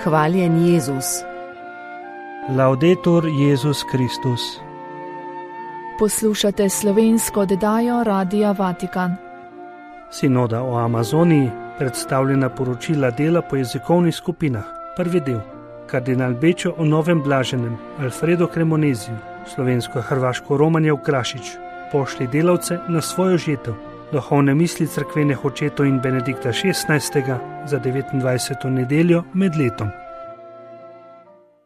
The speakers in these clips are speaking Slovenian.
Hvaljen Jezus. Laudetur Jezus Kristus. Poslušate slovensko oddajo Radia Vatikan. Sinoda o Amazoniji, predstavljena poročila dela po jezikovnih skupinah. Prvi del. Kardinal Bečo o novem blaženem, Alfredo Cremoneziju, slovensko-hrvaško Romanjev Krašič. Pošli delavce na svojo žetev. Duhovne misli cerkvenih očetov in Benedikta XVI. Za 29. nedeljo med letom.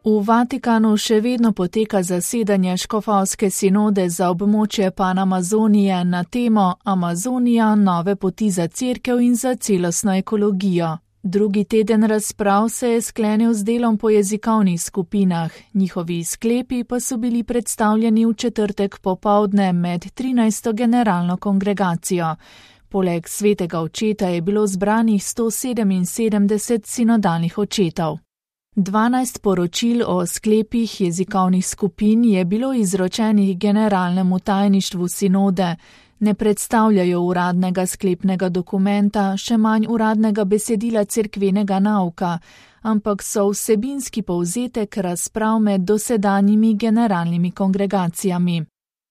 V Vatikanu še vedno poteka zasedanje škofovske sinode za območje Panamazonije na temo Amazonija, nove poti za cerkev in za celostno ekologijo. Drugi teden razprav se je sklenil z delom po jezikovnih skupinah, njihovi sklepi pa so bili predstavljeni v četrtek popoldne med 13. generalno kongregacijo. Poleg svetega očeta je bilo zbranih 177 sinodalnih očetov. 12 poročil o sklepih jezikovnih skupin je bilo izročenih generalnemu tajništvu sinode, ne predstavljajo uradnega sklepnega dokumenta, še manj uradnega besedila cerkvenega nauka, ampak so vsebinski povzetek razprav med dosedanjimi generalnimi kongregacijami.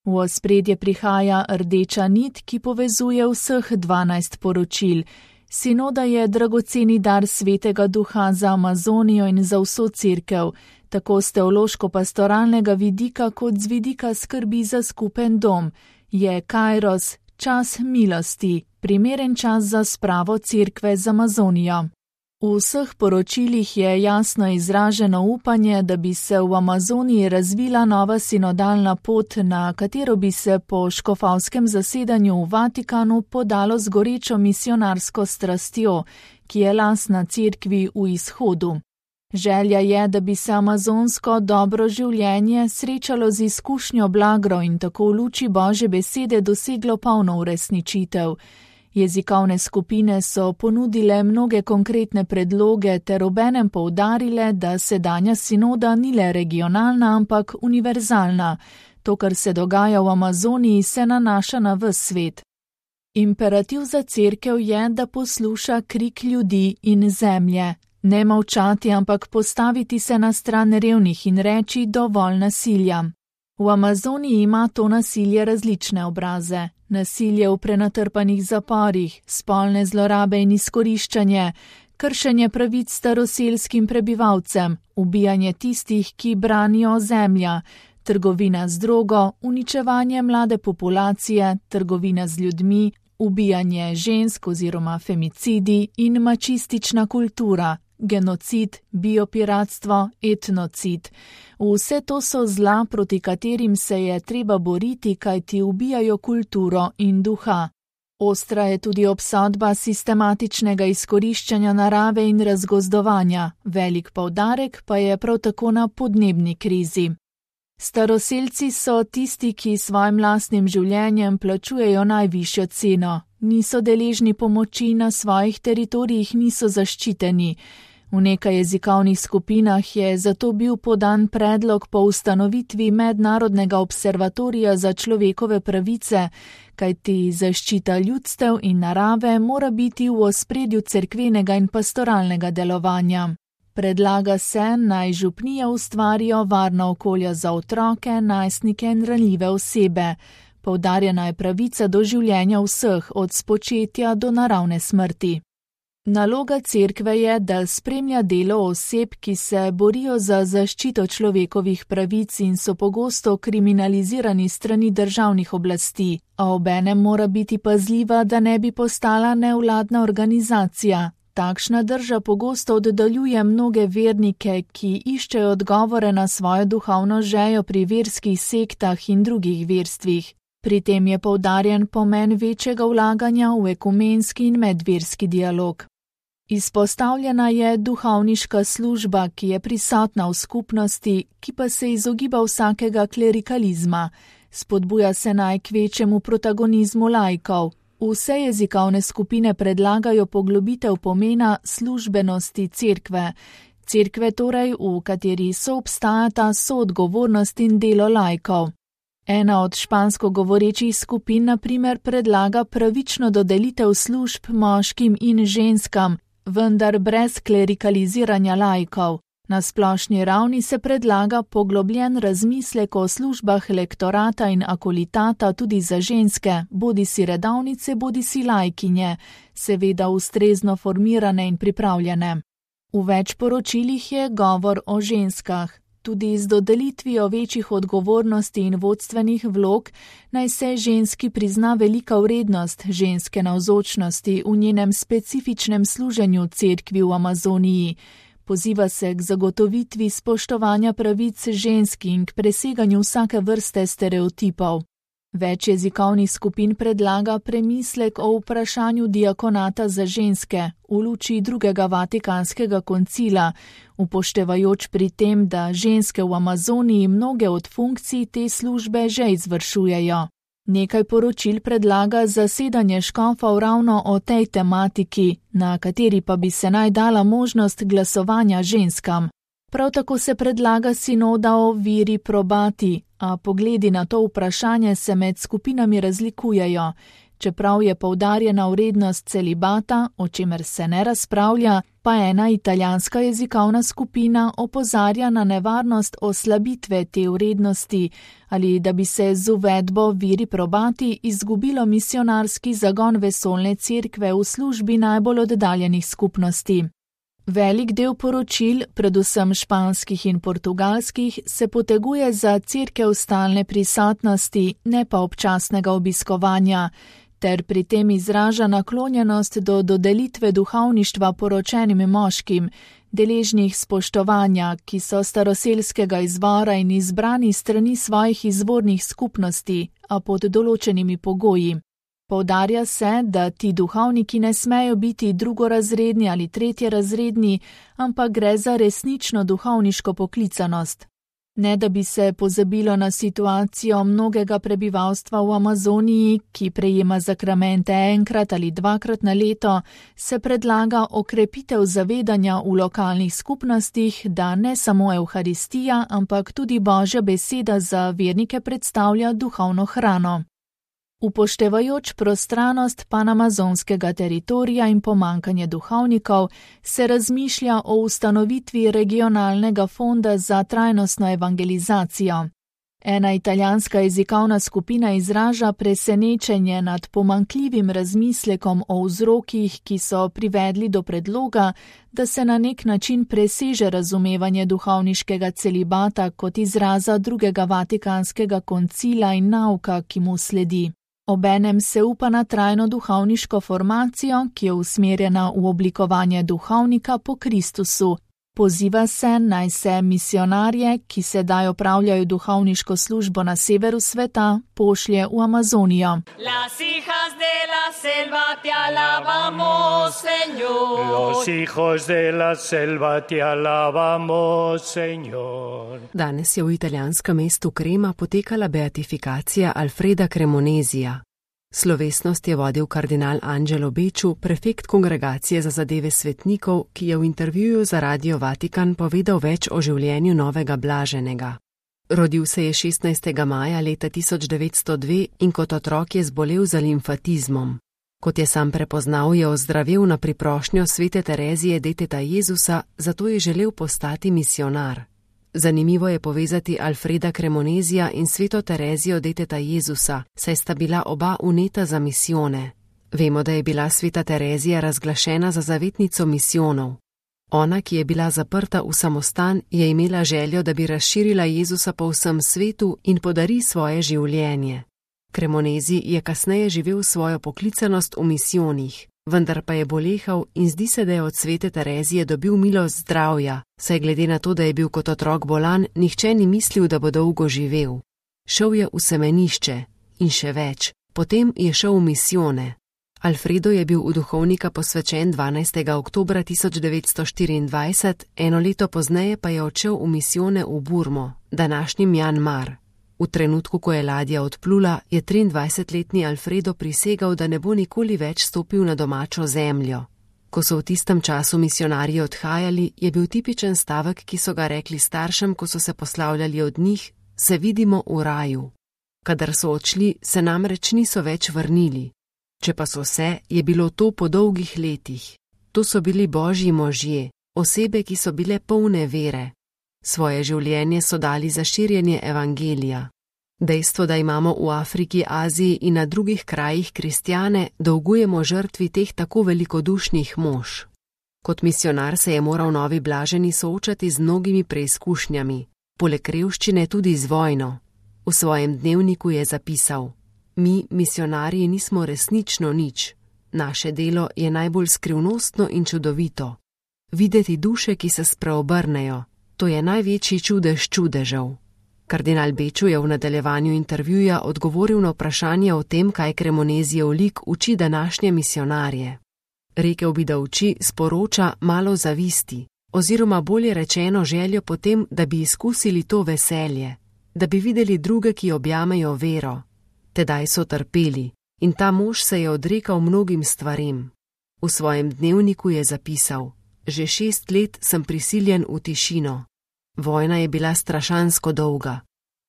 V ospredje prihaja rdeča nit, ki povezuje vseh 12 poročil. Sinoda je dragoceni dar Svetega Duha za Amazonijo in za vso cerkev, tako z teološko-pastoralnega vidika kot z vidika skrbi za skupen dom. Je Kairos, čas milosti, primeren čas za spravo cerkve z Amazonijo. V vseh poročilih je jasno izraženo upanje, da bi se v Amazoniji razvila nova sinodalna pot, na katero bi se po škofovskem zasedanju v Vatikanu podalo z gorečo misionarsko strastjo, ki je lastna cerkvi v izhodu. Želja je, da bi se amazonsko dobro življenje srečalo z izkušnjo blagro in tako v luči Božje besede doseglo polno uresničitev. Jezikovne skupine so ponudile mnoge konkretne predloge ter obenem poudarile, da sedanja sinoda ni le regionalna, ampak univerzalna. To, kar se dogaja v Amazoniji, se nanaša na ves svet. Imperativ za cerkev je, da posluša krik ljudi in zemlje. Ne molčati, ampak postaviti se na stran revnih in reči dovolj nasilja. V Amazoniji ima to nasilje različne obraze. Nasilje v prenatrpanih zaporih, spolne zlorabe in izkoriščanje, kršenje pravic staroselskim prebivalcem, ubijanje tistih, ki branijo zemlja, trgovina z drogo, uničevanje mlade populacije, trgovina z ljudmi, ubijanje žensk oziroma femicidi in mačistična kultura, genocid, biopiratstvo, etnocid. Vse to so zla, proti katerim se je treba boriti, kajti ubijajo kulturo in duha. Ostra je tudi obsodba sistematičnega izkoriščanja narave in razgozdovanja, velik poudarek pa je prav tako na podnebni krizi. Staroselci so tisti, ki svojim lastnim življenjem plačujejo najvišjo ceno. Niso deležni pomoči, na svojih teritorijih niso zaščiteni. V nekaj jezikovnih skupinah je zato bil podan predlog po ustanovitvi Mednarodnega observatorija za človekove pravice, kajti zaščita ljudstev in narave mora biti v ospredju cerkvenega in pastoralnega delovanja. Predlaga se, naj župnije ustvarijo varna okolja za otroke, najstnike in ranljive osebe. Poudarjena je pravica do življenja vseh, od spočetja do naravne smrti. Naloga cerkve je, da spremlja delo oseb, ki se borijo za zaščito človekovih pravic in so pogosto kriminalizirani strani državnih oblasti, a obenem mora biti pazljiva, da ne bi postala nevladna organizacija. Takšna drža pogosto oddaljuje mnoge vernike, ki iščejo odgovore na svojo duhovno žejo pri verskih sektah in drugih verstvih. Pri tem je poudarjen pomen večjega vlaganja v ekumenski in medverski dialog. Izpostavljena je duhovniška služba, ki je prisotna v skupnosti, ki pa se izogiba vsakega klerikalizma. Spodbuja se naj k večjemu protagonizmu laikov. Vse jezikovne skupine predlagajo poglobitev pomena službenosti cerkve. Cerkve torej, v kateri soobstajata soodgovornost in delo laikov. Ena od špansko govorečih skupin na primer predlaga pravično dodelitev služb moškim in ženskam, vendar brez klerikaliziranja laikov. Na splošni ravni se predlaga poglobljen razmislek o službah lektorata in akolitata tudi za ženske, bodisi redavnice, bodisi laikinje, seveda ustrezno formirane in pripravljene. V več poročilih je govor o ženskah. Tudi z dodelitvijo večjih odgovornosti in vodstvenih vlog naj se ženski prizna velika vrednost ženske navzočnosti v njenem specifičnem služenju cerkvi v Amazoniji. Poziva se k zagotovitvi spoštovanja pravic ženski in k preseganju vsake vrste stereotipov. Več jezikovnih skupin predlaga premislek o vprašanju diakonata za ženske v luči drugega Vatikanskega koncila, upoštevajoč pri tem, da ženske v Amazoniji mnoge od funkcij te službe že izvršujejo. Nekaj poročil predlaga zasedanje škofov ravno o tej tematiki, na kateri pa bi se naj dala možnost glasovanja ženskam. Prav tako se predlaga sinoda o viri probati, a pogledi na to vprašanje se med skupinami razlikujejo. Čeprav je poudarjena vrednost celibata, o čemer se ne razpravlja, pa ena italijanska jezikovna skupina opozarja na nevarnost oslabitve te vrednosti ali da bi se z uvedbo viri probati izgubilo misionarski zagon vesoljne cerkve v službi najbolj oddaljenih skupnosti. Velik del poročil, predvsem španskih in portugalskih, se poteguje za cerkev stalne prisotnosti, ne pa občasnega obiskovanja, ter pri tem izraža naklonjenost do dodelitve duhovništva poročenim moškim, deležnih spoštovanja, ki so staroselskega izvora in izbrani strani svojih izvornih skupnosti, a pod določenimi pogoji. Poudarja se, da ti duhovniki ne smejo biti drugorazredni ali tretjerazredni, ampak gre za resnično duhovniško poklicanost. Ne da bi se pozabilo na situacijo mnogega prebivalstva v Amazoniji, ki prejema zakramente enkrat ali dvakrat na leto, se predlaga okrepitev zavedanja v lokalnih skupnostih, da ne samo Evharistija, ampak tudi Božja beseda za vernike predstavlja duhovno hrano. Upoštevajoč prostranost panamazonskega teritorija in pomankanje duhovnikov, se razmišlja o ustanovitvi regionalnega fonda za trajnostno evangelizacijo. Ena italijanska jezikovna skupina izraža presenečenje nad pomankljivim razmislekom o vzrokih, ki so privedli do predloga, da se na nek način preseže razumevanje duhovniškega celibata kot izraza drugega Vatikanskega koncila in nauka, ki mu sledi. Obenem se upa na trajno duhovniško formacijo, ki je usmerjena v oblikovanje duhovnika po Kristusu. Poziva se, naj se misionarje, ki sedaj opravljajo duhovniško službo na severu sveta, pošlje v Amazonijo. Las hijas de la selva te alabamos, Señor. Los hijos de la selva te alabamos, Señor. Danes je v italijanskem mestu Crema potekala beatifikacija Alfreda Cremonezija. Slovesnost je vodil kardinal Angelo Becciu, prefekt kongregacije za zadeve svetnikov, ki je v intervjuju za Radio Vatikan povedal več o življenju novega blaženega. Rodil se je 16. maja leta 1902 in kot otrok je zbolel za limfatizmom. Kot je sam prepoznal, je ozdravel na priprošnjo svete Terezije deteta Jezusa, zato je želel postati misionar. Zanimivo je povezati Alfreda Cremonezija in sveto Terezijo deteta Jezusa, saj sta bila oba uneta za misijone. Vemo, da je bila sveta Terezija razglašena za zavetnico misijonov. Ona, ki je bila zaprta v samostan, je imela željo, da bi razširila Jezusa po vsem svetu in podari svoje življenje. Cremonezi je kasneje živel svojo poklicanost v misijonih, vendar pa je bolehal in zdi se, da je od svete Terezije dobil milost zdravja, saj glede na to, da je bil kot otrok bolan, nihče ni mislil, da bo dolgo živel. Šel je v semenišče in še več, potem je šel v misijone. Alfredo je bil v duhovnika posvečen 12. oktobra 1924, eno leto pozneje pa je odšel v misijone v Burmo, današnji Mjanmar. V trenutku, ko je ladja odplula, je 23-letni Alfredo prisegal, da ne bo nikoli več stopil na domačo zemljo. Ko so v tistem času misionarji odhajali, je bil tipičen stavek, ki so ga rekli staršem, ko so se poslavljali od njih: se vidimo v raju. Kadar so odšli, se namreč niso več vrnili. Če pa so se, je bilo to po dolgih letih. To so bili božji možje, osebe, ki so bile polne vere. Svoje življenje so dali za širjenje evangelija. Dejstvo, da imamo v Afriki, Aziji in na drugih krajih kristjane, dolgujemo žrtvi teh tako velikodušnih mož. Kot misionar se je moral novi blaženi soočati z mnogimi preizkušnjami, poleg revščine tudi z vojno. V svojem dnevniku je zapisal: Mi, misionarji, nismo resnično nič. Naše delo je najbolj skrivnostno in čudovito. Videti duše, ki se spreobrnejo, to je največji čudež čudežev. Kardinal Beču je v nadaljevanju intervjuja odgovoril na vprašanje o tem, kaj Cremonezijev lik uči današnje misionarje. Rekel bi, da uči, sporoča malo zavisti, oziroma bolje rečeno željo potem, da bi izkusili to veselje, da bi videli druge, ki objamejo vero. Tedaj so trpeli in ta mož se je odrekal mnogim stvarem. V svojem dnevniku je zapisal: Že 6 let sem prisiljen v tišino. Vojna je bila strašansko dolga.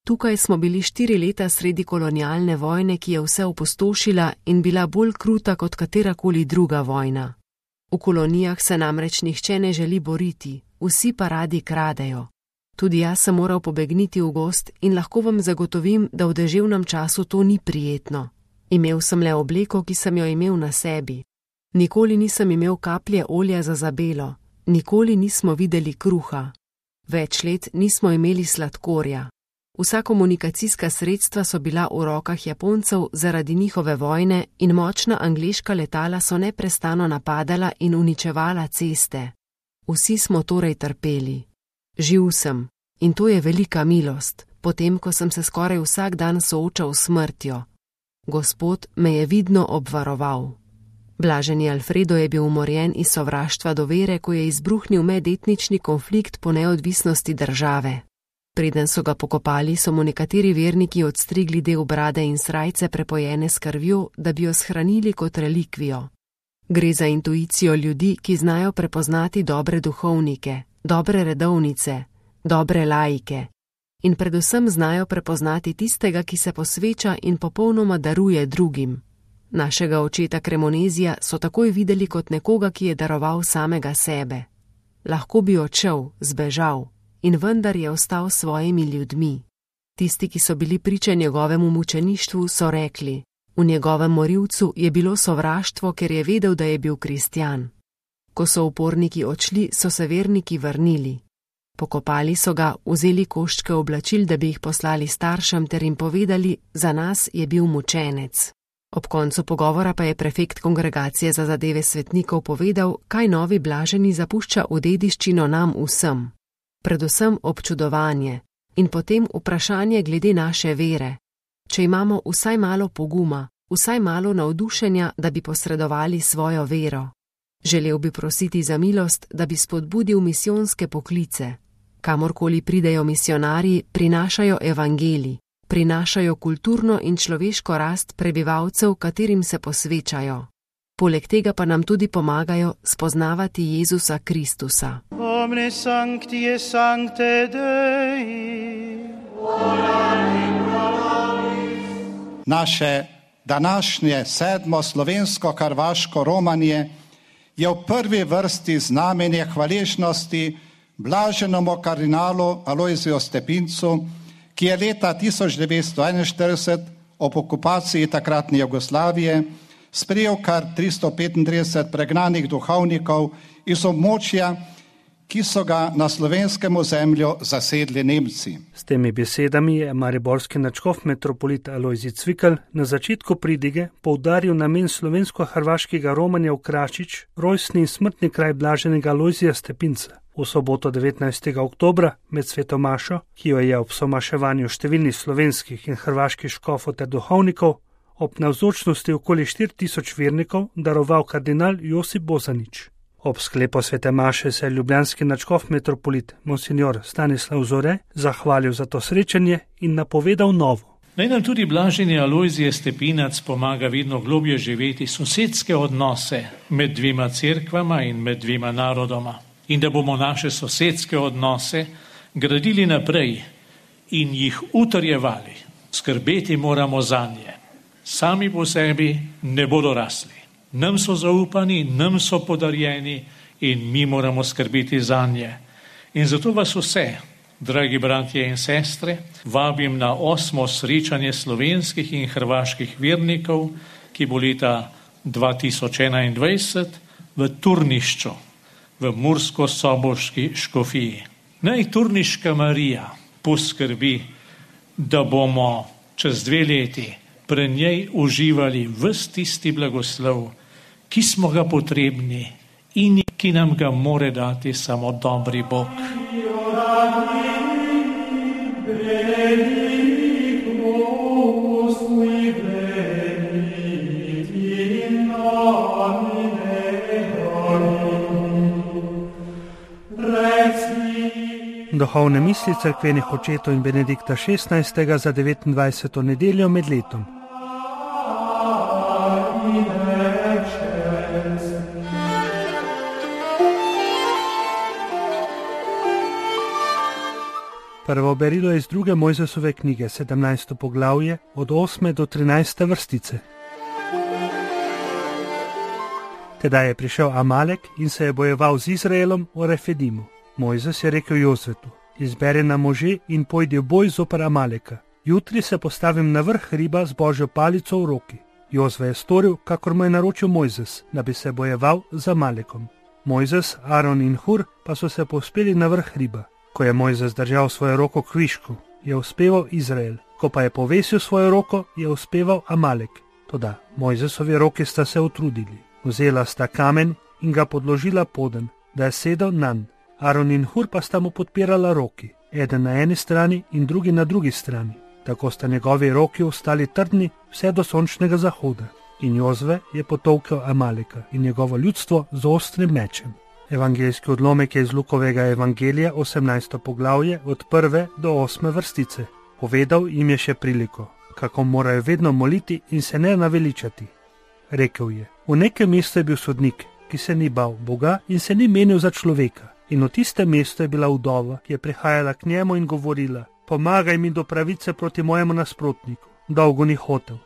Tukaj smo bili 4 leta sredi kolonialne vojne, ki je vse opustošila in bila bolj kruta kot katerakoli druga vojna. V kolonijah se namreč nihče ne želi boriti, vsi pa radi kradejo. Tudi jaz sem moral pobegniti v gozd in lahko vam zagotovim, da v deževnem času to ni prijetno. Imel sem le obleko, ki sem jo imel na sebi. Nikoli nisem imel kaplje olja za zabelo, nikoli nismo videli kruha. Več let nismo imeli sladkorja. Vsa komunikacijska sredstva so bila v rokah Japoncev zaradi njihove vojne in močna angleška letala so neprestano napadala in uničevala ceste. Vsi smo torej trpeli. Živ sem in to je velika milost, potem ko sem se skoraj vsak dan soočal s smrtjo. Gospod me je vidno obvaroval. Blaženi Alfredo je bil umorjen iz sovraštva do vere, ko je izbruhnil medetnični konflikt po neodvisnosti države. Preden so ga pokopali, so mu nekateri verniki odstrigli del brade in srajce prepojene s krvjo, da bi jo shranili kot relikvijo. Gre za intuicijo ljudi, ki znajo prepoznati dobre duhovnike, dobre redovnice, dobre laike in predvsem znajo prepoznati tistega, ki se posveča in popolnoma daruje drugim. Našega očeta Cremonezija so takoj videli kot nekoga, ki je daroval samega sebe. Lahko bi odšel, zbežal, in vendar je ostal s svojimi ljudmi. Tisti, ki so bili priča njegovemu mučeništvu, so rekli: v njegovem morilcu je bilo sovraštvo, ker je vedel, da je bil kristjan. Ko so uporniki odšli, so se verniki vrnili. Pokopali so ga, vzeli koščke oblačil, da bi jih poslali staršem ter jim povedali: za nas je bil mučenec. Ob koncu pogovora pa je prefekt Kongregacije za zadeve svetnikov povedal, kaj novi blaženi zapušča v dediščino nam vsem. Predvsem občudovanje in potem vprašanje glede naše vere. Če imamo vsaj malo poguma, vsaj malo navdušenja, da bi posredovali svojo vero. Želel bi prositi za milost, da bi spodbudil misijonske poklice. Kamorkoli pridejo misionarji, prinašajo evangelij, prinašajo kulturno in človeško rast prebivalcev, katerim se posvečajo. Poleg tega pa nam tudi pomagajo spoznavati Jezusa Kristusa. Omne sancti et sancte Dei. Naše današnje 7. slovensko-hrvaško romanje je v prvi vrsti znamenje hvaležnosti blaženemu kardinalu Alojziju Stepincu, ki je leta 1941 ob okupaciji takratne Jugoslavije sprejel kar 335 pregnanih duhovnikov iz območja, ki so ga na slovenskem ozemlju zasedli Nemci. S temi besedami je mariborski nadškof metropolit Alojzij Cvikl na začetku pridige poudaril namen slovensko-hrvaškega romanja v Krašič, rojstni in smrtni kraj blaženega Alojzija Stepinca. V soboto 19. oktobra med sveto mašo, ki jo je ob somaševanju številnih slovenskih in hrvaških škofov ter duhovnikov ob navzočnosti okoli 4000 vernikov daroval kardinal Josip Bozanič. Ob sklepu svete maše se je ljubljanski nadškof metropolit monsignor Stanislav Zore zahvalil za to srečanje in napovedal novo. Naj nam tudi blaženi Alojzije Stepinac pomaga vedno globje živeti sosedske odnose med dvema cerkvama in med dvema narodoma. In da bomo naše sosedske odnose gradili naprej in jih utrjevali. Skrbeti moramo zanje. Sami po sebi ne bodo rasli. Nam so zaupani, nam so podarjeni in mi moramo skrbeti zanje. In zato vas vse, dragi bratje in sestre, vabim na 8. srečanje slovenskih in hrvaških vernikov, ki bo leta 2021 v Turnišču, v Mursko-Soboški škofiji. Naj Turniška Marija poskrbi, da bomo čez 2 leti pri njej uživali ves tisti blagoslov, ki smo ga potrebni in ki nam ga more dati samo dobri Bog. Duhovne misli cerkvenih očetov in Benedikta XVI. Za 29. nedeljo med letom. Prvo berilo je iz 2. Mojzesove knjige, 17. poglavje, od 8. do 13. vrstice. Tedaj je prišel Amalek in se je bojeval z Izraelom v Refedimu. Mojzes je rekel Jozvetu: izberi nam može in pojdi v boj zoper Amaleka. Jutri se postavim na vrh hriba z Božjo palico v roki. Jozve je storil, kakor mu je naročil Mojzes, da bi se bojeval z Amalekom. Mojzes, Aron in Hur pa so se povzpeli na vrh hriba. Ko je Mojzes držal svojo roko k višku, je uspeval Izrael. Ko pa je povesil svojo roko, je uspeval Amalek. Toda Mojzesovi roki sta se utrudili. Vzela sta kamen in ga podložila poden, da je sedel nanj. Aron in Hur pa sta mu podpirala roki, eden na eni strani in drugi na drugi strani. Tako sta njegovi roki ostali trdni vse do sončnega zahoda. In Jozve je potolkel Amaleka in njegovo ljudstvo z ostrim mečem. Evangeljski odlomek je iz Lukovega evangelija, 18. poglavje, od 1. do 8. vrstice. Povedal jim je še priliko, kako morajo vedno moliti in se ne naveličati. Rekel je: v nekem mestu je bil sodnik, ki se ni bal Boga in se ni menil za človeka. In v tistem mestu je bila vdova, ki je prihajala k njemu in govorila: pomagaj mi do pravice proti mojemu nasprotniku. Dolgo ni hotel.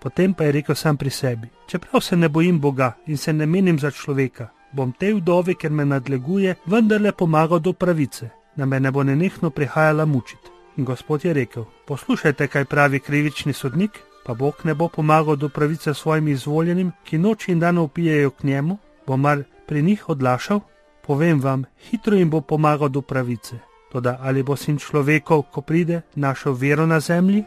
Potem pa je rekel sam pri sebi: čeprav se ne bojim Boga in se ne menim za človeka, bom tej vdovi, ker me nadleguje, vendarle pomagal do pravice, da me ne bo nenehno prihajala mučiti. In Gospod je rekel: poslušajte, kaj pravi krivični sodnik, pa Bog ne bo pomagal do pravice svojim izvoljenim, ki noč in dan vpijejo k njemu, bo mar pri njih odlašal? Povem vam, hitro jim bo pomagal do pravice. Toda ali bo Sin človekov, ko pride, našel vero na zemlji?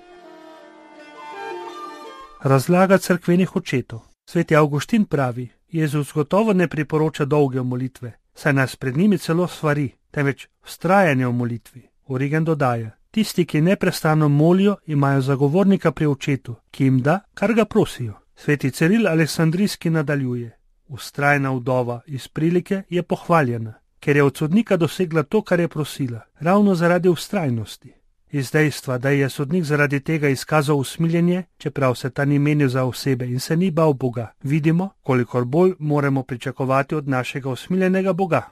Razlaga cerkvenih očetov. Sveti Avguštin pravi: Jezus gotovo ne priporoča dolge molitve, saj nas pred njimi celo svari, temveč vztrajanje v molitvi. Origen dodaja: tisti, ki neprestano molijo, imajo zagovornika pri očetu, ki jim da, kar ga prosijo. Sveti Ciril Aleksandrijski nadaljuje: vztrajna vdova iz prilike je pohvaljena, ker je od sodnika dosegla to, kar je prosila, ravno zaradi vztrajnosti. Iz dejstva, da je sodnik zaradi tega izkazal usmiljenje, čeprav se ta ni menil za osebe in se ni bal Boga, vidimo, kolikor bolj moramo pričakovati od našega usmiljenega Boga.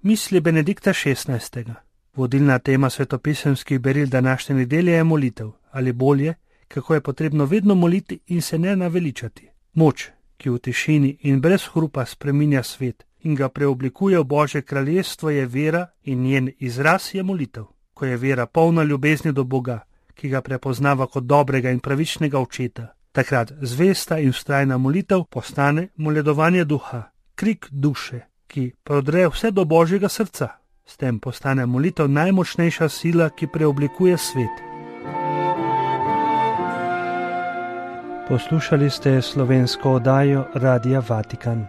Misli Benedikta XVI. Vodilna tema svetopisemskih beril današnje nedelje je molitev, ali bolje, kako je potrebno vedno moliti in se ne naveličati. Moč, ki v tišini in brez hrupa spreminja svet in ga preoblikuje v Božje kraljestvo, je vera in njen izraz je molitev. Ko je vera polna ljubezni do Boga, ki ga prepoznava kot dobrega in pravičnega očeta, takrat zvesta in vztrajna molitev postane moledovanje duha, krik duše, ki prodre vse do Božjega srca. S tem postane molitev najmočnejša sila, ki preoblikuje svet. Poslušali ste slovensko oddajo Radia Vatikan.